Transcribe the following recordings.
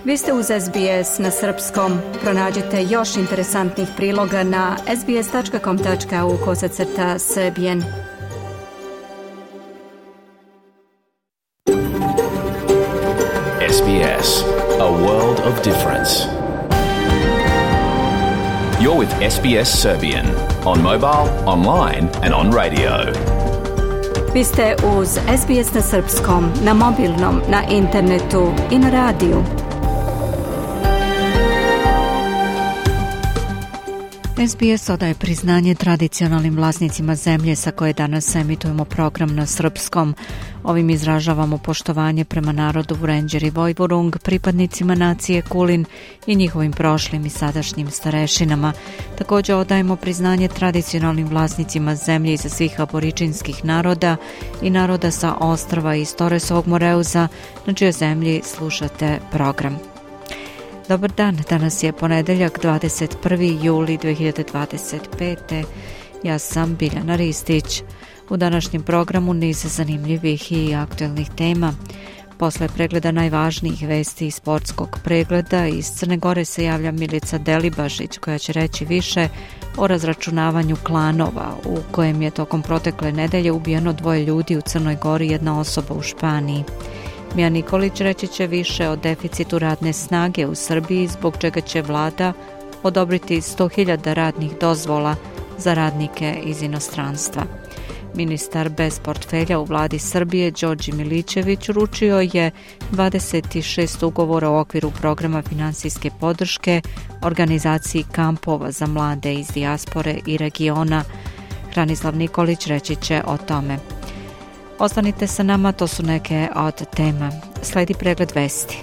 Vi ste uz SBS na srpskom. Pronađite još interesantnih priloga na sbs.com.au/srbijen. SBS, a world of difference. You're with SBS Serbian on mobile, online and on radio. Vi ste uz SBS na srpskom, na mobilnom, na internetu i na radiju. SBS odaje priznanje tradicionalnim vlasnicima zemlje sa koje danas emitujemo program na srpskom. Ovim izražavamo poštovanje prema narodu Vurenđer i Vojvorung, pripadnicima nacije Kulin i njihovim prošlim i sadašnjim starešinama. Također odajemo priznanje tradicionalnim vlasnicima zemlje iza svih aboričinskih naroda i naroda sa ostrva iz Toresovog Moreuza, na čijoj zemlji slušate program. Dobar dan, danas je ponedeljak 21. juli 2025. Ja sam Biljana Ristić. U današnjem programu niz zanimljivih i aktualnih tema. Posle pregleda najvažnijih vesti iz sportskog pregleda iz Crne Gore se javlja Milica Delibašić koja će reći više o razračunavanju klanova u kojem je tokom protekle nedelje ubijeno 2 ljudi u Crnoj Gori i 1 osoba u Španiji. Mija Nikolić reći će više o deficitu radne snage u Srbiji, zbog čega će vlada odobriti 100.000 radnih dozvola za radnike iz inostranstva. Ministar bez portfelja u vladi Srbije, Đorđe Milićević, uručio je 26 ugovora u okviru programa finansijske podrške organizaciji kampova za mlade iz dijaspore i regiona. Hranislav Nikolić reći će o tome. Ostanite sa nama, to su neke od tema. Sledi pregled vesti.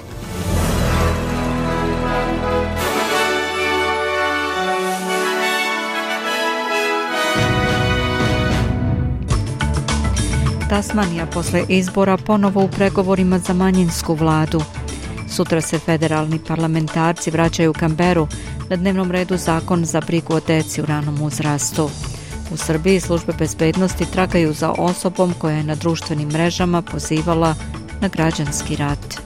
Tasmanija posle izbora ponovo u pregovorima za manjinsku vladu. Sutra se federalni parlamentarci vraćaju u Canberu, na dnevnom redu zakon za brigu o deci u ranom uzrastu. U Srbiji službe bezbednosti tragaju za osobom koja je na društvenim mrežama pozivala na građanski rat.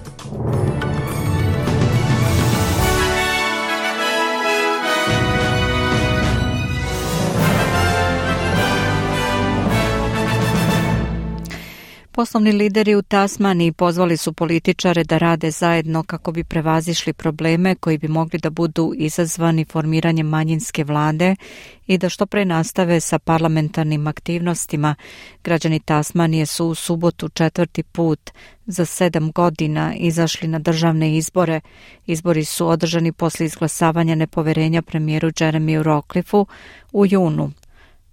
Poslovni lideri u Tasmaniji pozvali su političare da rade zajedno kako bi prevazišli probleme koji bi mogli da budu izazvani formiranjem manjinske vlade i da što pre nastave sa parlamentarnim aktivnostima. Građani Tasmanije su u subotu 4. put za 7 godina izašli na državne izbore. Izbori su održani posle izglasavanja nepoverenja premijeru Jeremiju Rockliffu u junu.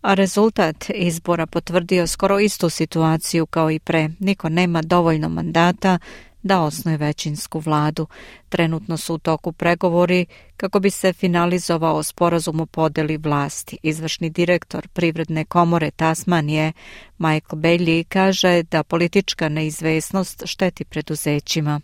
A rezultat izbora potvrdio skoro istu situaciju kao i pre. Niko nema dovoljno mandata da osnuje većinsku vladu. Trenutno su u toku pregovori kako bi se finalizovao sporazum o podeli vlasti. Izvršni direktor Privredne komore Tasmanije, Michael Bailey, kaže da politička neizvesnost šteti preduzećima.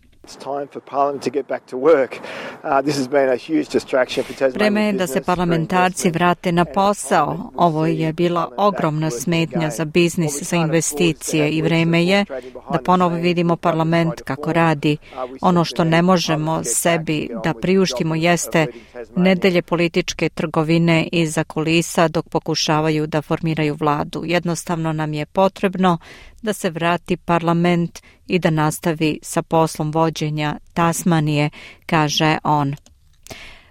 Vreme je da se parlamentarci vrate na posao. Ovo je bila ogromna smetnja za biznis, za investicije i vreme je da ponovo vidimo parlament kako radi. Ono što ne možemo sebi da priuštimo jeste nedelje političke trgovine iza kulisa dok pokušavaju da formiraju vladu. Jednostavno nam je potrebno da se vrati parlament i da nastavi sa poslom vođenja Tasmanije, kaže on.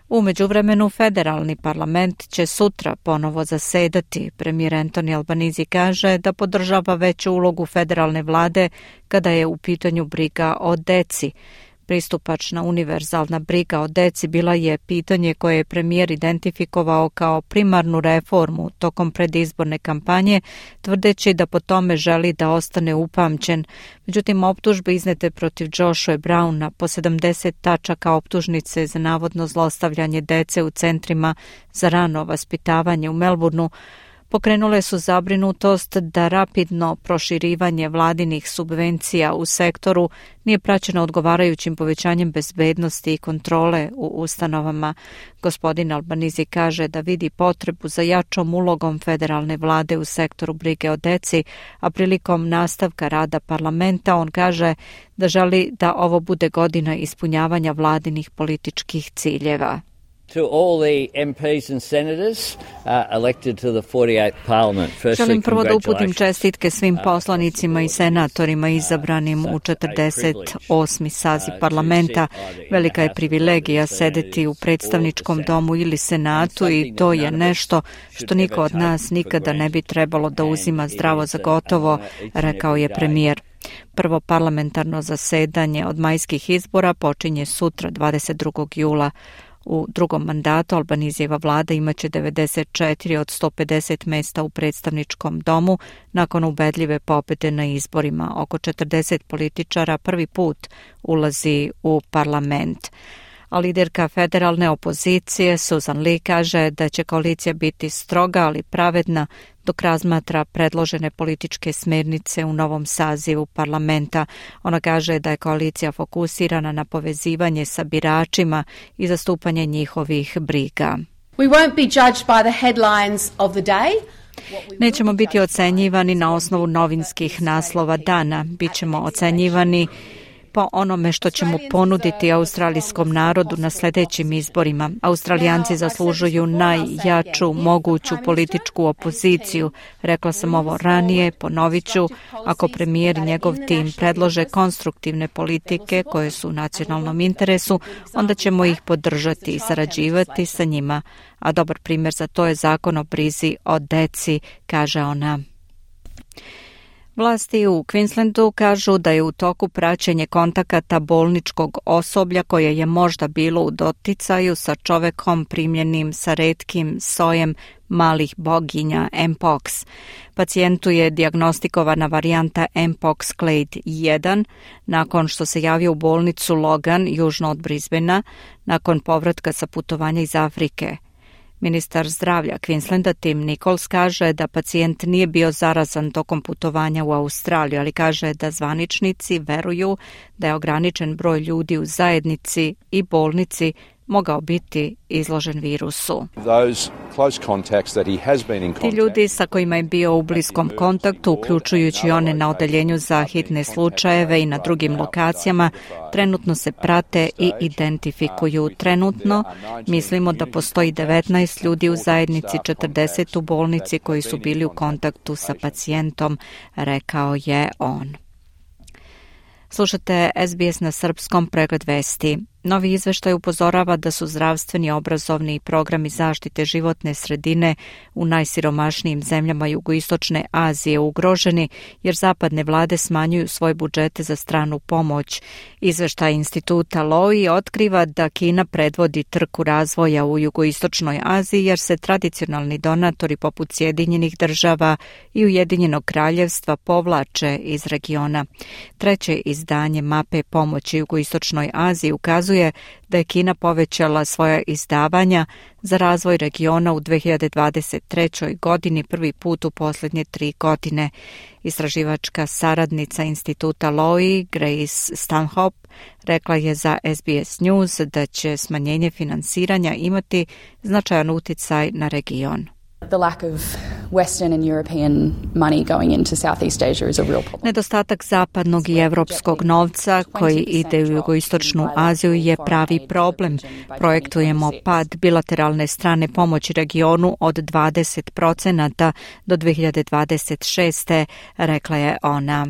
U međuvremenu federalni parlament će sutra ponovo zasedati. Premijer Anthony Albanese kaže da podržava veću ulogu federalne vlade kada je u pitanju briga o deci. Pristupačna univerzalna briga o deci bila je pitanje koje je premijer identifikovao kao primarnu reformu tokom predizborne kampanje, tvrdeći da po tome želi da ostane upamćen. Međutim, optužbe iznete protiv Joshua Browna po 70 tačaka optužnice za navodno zlostavljanje dece u centrima za rano vaspitavanje u Melbourneu pokrenule su zabrinutost da rapidno proširivanje vladinih subvencija u sektoru nije praćeno odgovarajućim povećanjem bezbednosti i kontrole u ustanovama. Gospodin Albanizi kaže da vidi potrebu za jačom ulogom federalne vlade u sektoru brige o deci, a prilikom nastavka rada parlamenta on kaže da želi da ovo bude godina ispunjavanja vladinih političkih ciljeva. To all the MPs and senators elected to the 48th Parliament. Želim prvo da uputim čestitke svim poslanicima i senatorima izabranim u 48. saziv parlamenta. Velika je privilegija sedeti u predstavničkom domu ili senatu i to je nešto što niko od nas nikada ne bi trebalo da uzima zdravo za gotovo, rekao je premijer. Prvo parlamentarno zasedanje od majskih izbora počinje sutra 22. jula. U drugom mandatu Albanizijeva vlada imaće 94 od 150 mesta u predstavničkom domu nakon ubedljive pobede na izborima. Oko 40 političara prvi put ulazi u parlament. A liderka federalne opozicije Susan Lee kaže da će koalicija biti stroga, ali pravedna dok razmatra predložene političke smernice u novom sazivu parlamenta. Ona kaže da je koalicija fokusirana na povezivanje sa biračima i zastupanje njihovih briga. We won't be judged by the headlines of the day. Nećemo biti ocenjivani na osnovu novinskih naslova dana. Bićemo ocenjivani po onome što ćemo ponuditi australijskom narodu na sljedećim izborima. Australijanci zaslužuju najjaču moguću političku opoziciju. Rekla sam ovo ranije, ponovit ću, ako premijer i njegov tim predlože konstruktivne politike koje su u nacionalnom interesu, onda ćemo ih podržati i sarađivati sa njima. A dobar primjer za to je zakon o brizi o deci, kaže ona. Vlasti u Queenslandu kažu da je u toku praćenje kontakata bolničkog osoblja koje je možda bilo u doticaju sa čovekom primljenim sa retkim sojem malih boginja Mpox. Pacijentu je dijagnostikovana varijanta Mpox Clade 1 nakon što se javio u bolnicu Logan, južno od Brisbanea, nakon povratka sa putovanja iz Afrike. Ministar zdravlja Queenslanda Tim Nichols kaže da pacijent nije bio zarazan tokom putovanja u Australiju, ali kaže da zvaničnici veruju da je ograničen broj ljudi u zajednici i bolnici mogao biti izložen virusu. Ti ljudi sa kojima je bio u bliskom kontaktu, uključujući one na odeljenju za hitne slučajeve i na drugim lokacijama, trenutno se prate i identifikuju. Trenutno mislimo da postoji 19 ljudi u zajednici, 40 u bolnici koji su bili u kontaktu sa pacijentom, rekao je on. Slušate SBS na srpskom, pregled vesti. Novi izveštaj upozorava da su zdravstveni, obrazovni i programi zaštite životne sredine u najsiromašnijim zemljama jugoistočne Azije ugroženi jer zapadne vlade smanjuju svoje budžete za stranu pomoć. Izveštaj instituta Lowy otkriva da Kina predvodi trku razvoja u jugoistočnoj Aziji jer se tradicionalni donatori poput Sjedinjenih država i Ujedinjenog kraljevstva povlače iz regiona. Treće izdanje mape pomoći jugoistočnoj Aziji ukazuje da je Kina povećala svoja izdavanja za razvoj regiona u 2023. godini prvi put u posljednje 3 godine. Istraživačka saradnica instituta Lowy, Grace Stanhope, rekla je za SBS News da će smanjenje finansiranja imati značajan uticaj na region. The lack of Western and European money going into Southeast Asia is a real problem. Nedostatak zapadnog i evropskog novca koji ide u jugoistočnu Aziju je pravi problem. Projektujemo pad bilateralne strane pomoći regionu od 20% do 2026. rekla je ona.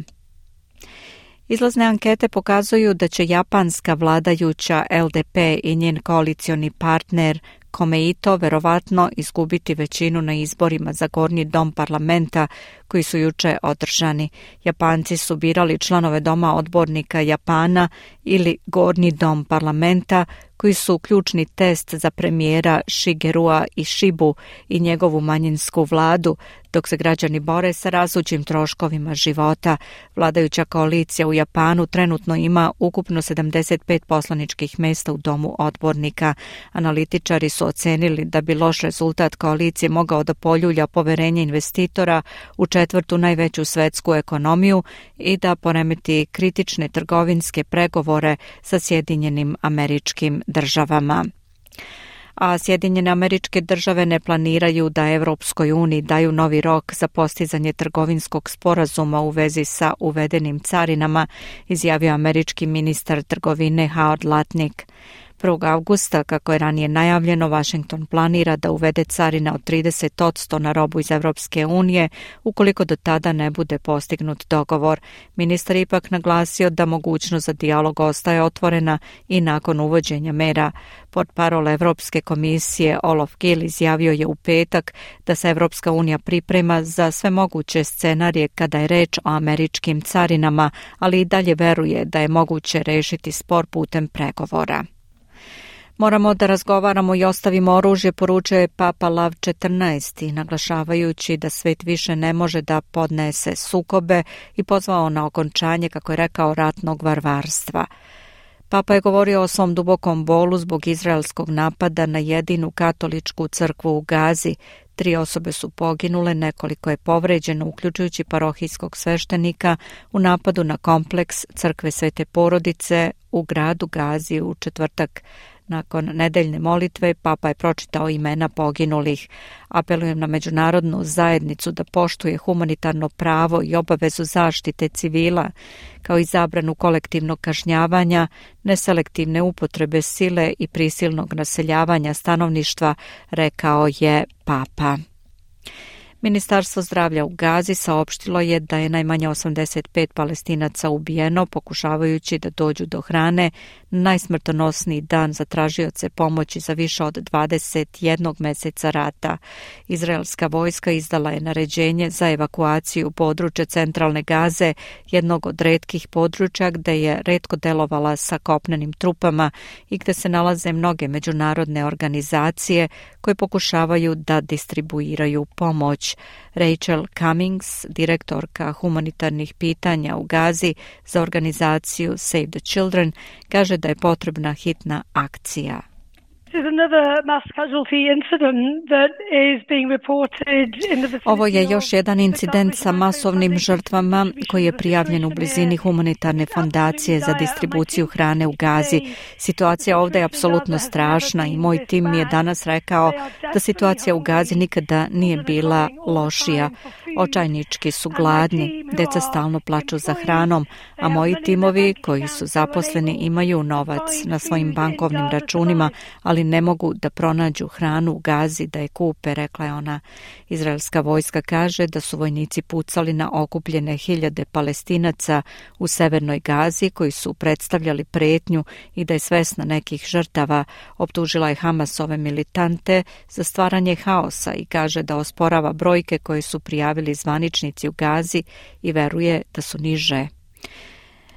Izlazne ankete pokazuju da će japanska vladajuća LDP i njen koalicioni partner Komeito verovatno izgubiti većinu na izborima za gornji dom parlamenta koji su juče održani. Japanci su birali članove Doma odbornika Japana ili Gornji dom parlamenta, koji su ključni test za premijera Shigerua Ishibu i njegovu manjinsku vladu, dok se građani bore sa rastućim troškovima života. Vladajuća koalicija u Japanu trenutno ima ukupno 75 poslaničkih mjesta u Domu odbornika. Analitičari su ocenili da bi loš rezultat koalicije mogao da poljulja poverenje investitora u četvrtu najveću svetsku ekonomiju i da poremeti kritične trgovinske pregovore sa Sjedinjenim Američkim Državama. A Sjedinjene Američke Države ne planiraju da Evropskoj uniji daju novi rok za postizanje trgovinskog sporazuma u vezi sa uvedenim carinama, izjavio američki ministar trgovine Howard Lutnick. 1. avgusta, kako je ranije najavljeno, Washington planira da uvede carine od 30% na robu iz Evropske unije, ukoliko do tada ne bude postignut dogovor. Ministar ipak naglasio da mogućnost za dijalog ostaje otvorena i nakon uvođenja mera. Portparol Evropske komisije Olof Gill izjavio je u petak da se Evropska unija priprema za sve moguće scenarije kada je reč o američkim carinama, ali i dalje veruje da je moguće rešiti spor putem pregovora. Moramo da razgovaramo i ostavimo oružje, poručio je Papa Lav XIV, naglašavajući da svet više ne može da podnese sukobe i pozvao na okončanje, kako je rekao, ratnog varvarstva. Papa je govorio o svom dubokom bolu zbog izraelskog napada na jedinu katoličku crkvu u Gazi. 3 osobe su poginule, nekoliko je povređeno, uključujući parohijskog sveštenika u napadu na kompleks crkve Svete Porodice u gradu Gazi u četvrtak. Nakon nedeljne molitve, Papa je pročitao imena poginulih. Apelujem na međunarodnu zajednicu da poštuje humanitarno pravo i obavezu zaštite civila, kao i zabranu kolektivnog kažnjavanja, neselektivne upotrebe sile i prisilnog naseljavanja stanovništva, rekao je Papa. Ministarstvo zdravlja u Gazi saopštilo je da je najmanje 85 Palestinaca ubijeno pokušavajući da dođu do hrane na najsmrtonosniji dan za tražioce pomoći za više od 21 meseca rata. Izraelska vojska izdala je naređenje za evakuaciju područja centralne Gaze, jednog od retkih područja gde je retko delovala sa kopnenim trupama i gde se nalaze mnoge međunarodne organizacije koje pokušavaju da distribuiraju pomoć. Rachel Cummings, direktorka humanitarnih pitanja u Gazi za organizaciju Save the Children, kaže da je potrebna hitna akcija. Ovo je još jedan incident sa masovnim žrtvama koji je prijavljen u blizini humanitarne fondacije za distribuciju hrane u Gazi. Situacija ovdje je apsolutno strašna i moj tim mi je danas rekao da situacija u Gazi nikada nije bila lošija. Očajnički su gladni, deca stalno plaču za hranom, a moji timovi koji su zaposleni imaju novac na svojim bankovnim računima, ali ne mogu da pronađu hranu u Gazi da je kupe, rekla je ona. Izraelska vojska kaže da su vojnici pucali na okupljene hiljade Palestinaca u severnoj Gazi koji su predstavljali pretnju i da je svesna nekih žrtava. Optužila je Hamasove militante za stvaranje haosa i kaže da osporava brojke koje su prijavili zvaničnici u Gazi i veruje da su niže.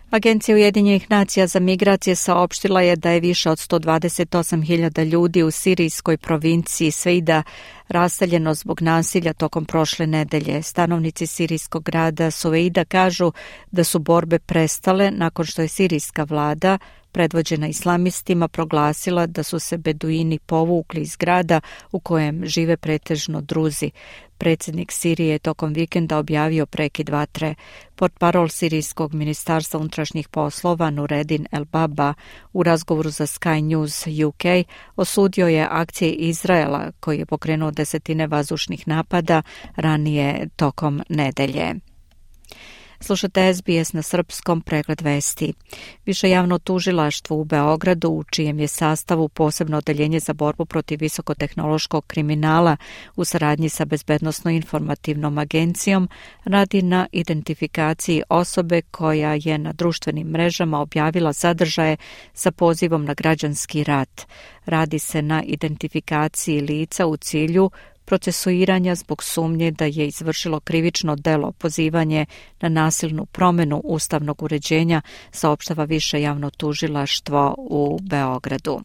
Agencija Ujedinjenih nacija za migracije saopštila je da je više od 128.000 ljudi u sirijskoj provinciji Sveida raseljeno zbog nasilja tokom prošle nedelje. Stanovnici sirijskog grada Suveida kažu da su borbe prestale nakon što je sirijska vlada, predvođena islamistima, proglasila da su se beduini povukli iz grada u kojem žive pretežno Druzi. Predsjednik Sirije je tokom vikenda objavio prekid vatre. Portparol sirijskog ministarstva unutrašnjih poslova Nureddin El Baba u razgovoru za Sky News UK osudio je akcije Izraela koji je pokrenuo desetine vazdušnih napada ranije tokom nedelje. Slušate SBS na srpskom, pregled vesti. Više javno tužilaštvo u Beogradu, u čijem je sastavu posebno odeljenje za borbu protiv visokotehnološkog kriminala u saradnji sa Bezbednosno-informativnom agencijom, radi na identifikaciji osobe koja je na društvenim mrežama objavila sadržaje sa pozivom na građanski rat. Radi se na identifikaciji lica u cilju procesuiranja zbog sumnje da je izvršilo krivično delo pozivanje na nasilnu promjenu ustavnog uređenja, saopštava Više javno tužilaštvo u Beogradu.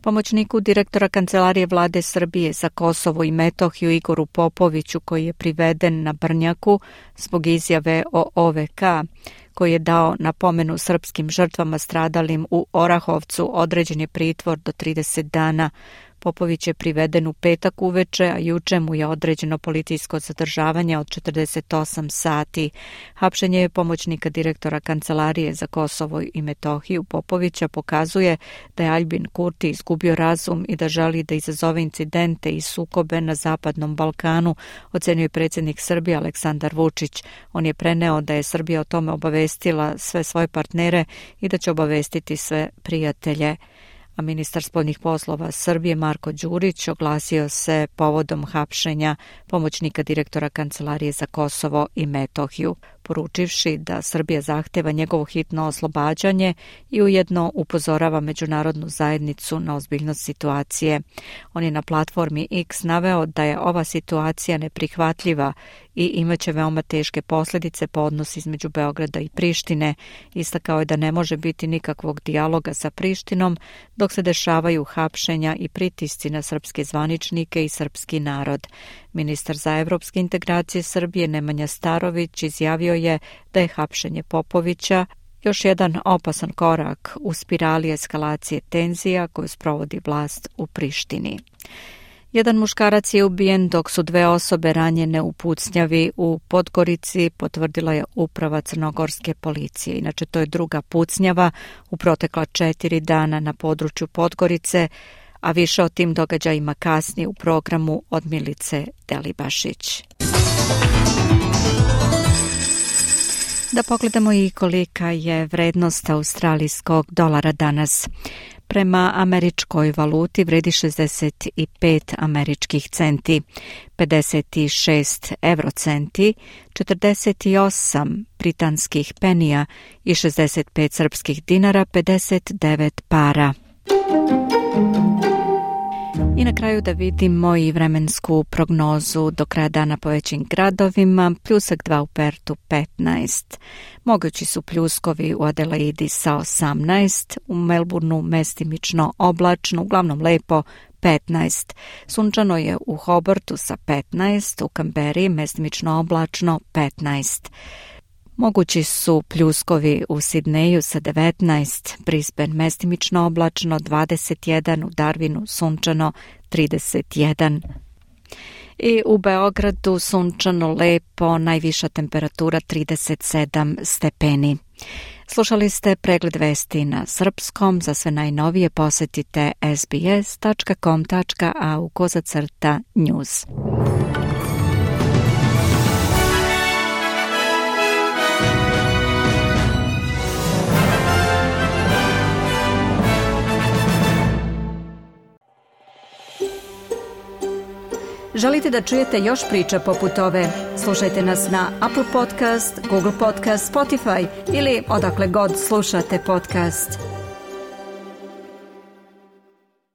Pomoćniku direktora Kancelarije vlade Srbije za Kosovo i Metohiju Igoru Popoviću, koji je priveden na Brnjaku zbog izjave o OVK, koji je dao napomenu srpskim žrtvama stradalim u Orahovcu, određen je pritvor do 30 dana. Popović je priveden u petak uveče, a juče mu je određeno policijsko zadržavanje od 48 sati. Hapšenje je pomoćnika direktora Kancelarije za Kosovo i Metohiju Popovića pokazuje da je Aljbin Kurti izgubio razum i da želi da izazove incidente i sukobe na Zapadnom Balkanu, ocenjuje predsjednik Srbije Aleksandar Vučić. On je preneo da je Srbija o tome obavestila sve svoje partnere i da će obavestiti sve prijatelje. A ministar spoljnih poslova Srbije Marko Đurić oglasio se povodom hapšenja pomoćnika direktora Kancelarije za Kosovo i Metohiju, poručivši da Srbija zahteva njegovo hitno oslobađanje i ujedno upozorava međunarodnu zajednicu na ozbiljnost situacije. On je na platformi X naveo da je ova situacija neprihvatljiva i imaće veoma teške posljedice po odnosu između Beograda i Prištine. Istakao je da ne može biti nikakvog dijaloga sa Prištinom dok se dešavaju hapšenja i pritisci na srpske zvaničnike i srpski narod. Ministar za evropske integracije Srbije Nemanja Starović izjavio je da je hapšenje Popovića još jedan opasan korak u spirali eskalacije tenzija koju sprovodi vlast u Prištini. Jedan muškarac je ubijen dok su 2 osobe ranjene u pucnjavi u Podgorici, potvrdila je uprava crnogorske policije. Inače, to je druga pucnjava u protekla 4 dana na području Podgorice, a više o tim događajima kasnije u programu od Milice Delibašić. Da pogledamo i kolika je vrednost australijskog dolara danas. Prema američkoj valuti vredi 65 američkih centi, 56 eurocenti, 48 britanskih penija i 65 srpskih dinara, 59 para. I na kraju da vidimo i vremensku prognozu do kraja dana po većim gradovima. Pljusak 2 u Pertu 15. Mogući su pljuskovi u Adelaidi sa 18. U Melbourneu mestimično oblačno, uglavnom lepo 15. Sunčano je u Hobartu sa 15. U Kamberi mestimično oblačno 15. Mogući su pljuskovi u Sidneju sa 19, Brisbane mestimično oblačno 21, u Darwinu sunčano 31. I u Beogradu sunčano lepo, najviša temperatura 37 stepeni. Slušali ste pregled vesti na srpskom. Za sve najnovije posjetite sbs.com.au/news. Želite da čujete još priča poput ove? Slušajte nas na Apple Podcast, Google Podcast, Spotify ili odakle god slušate podcast.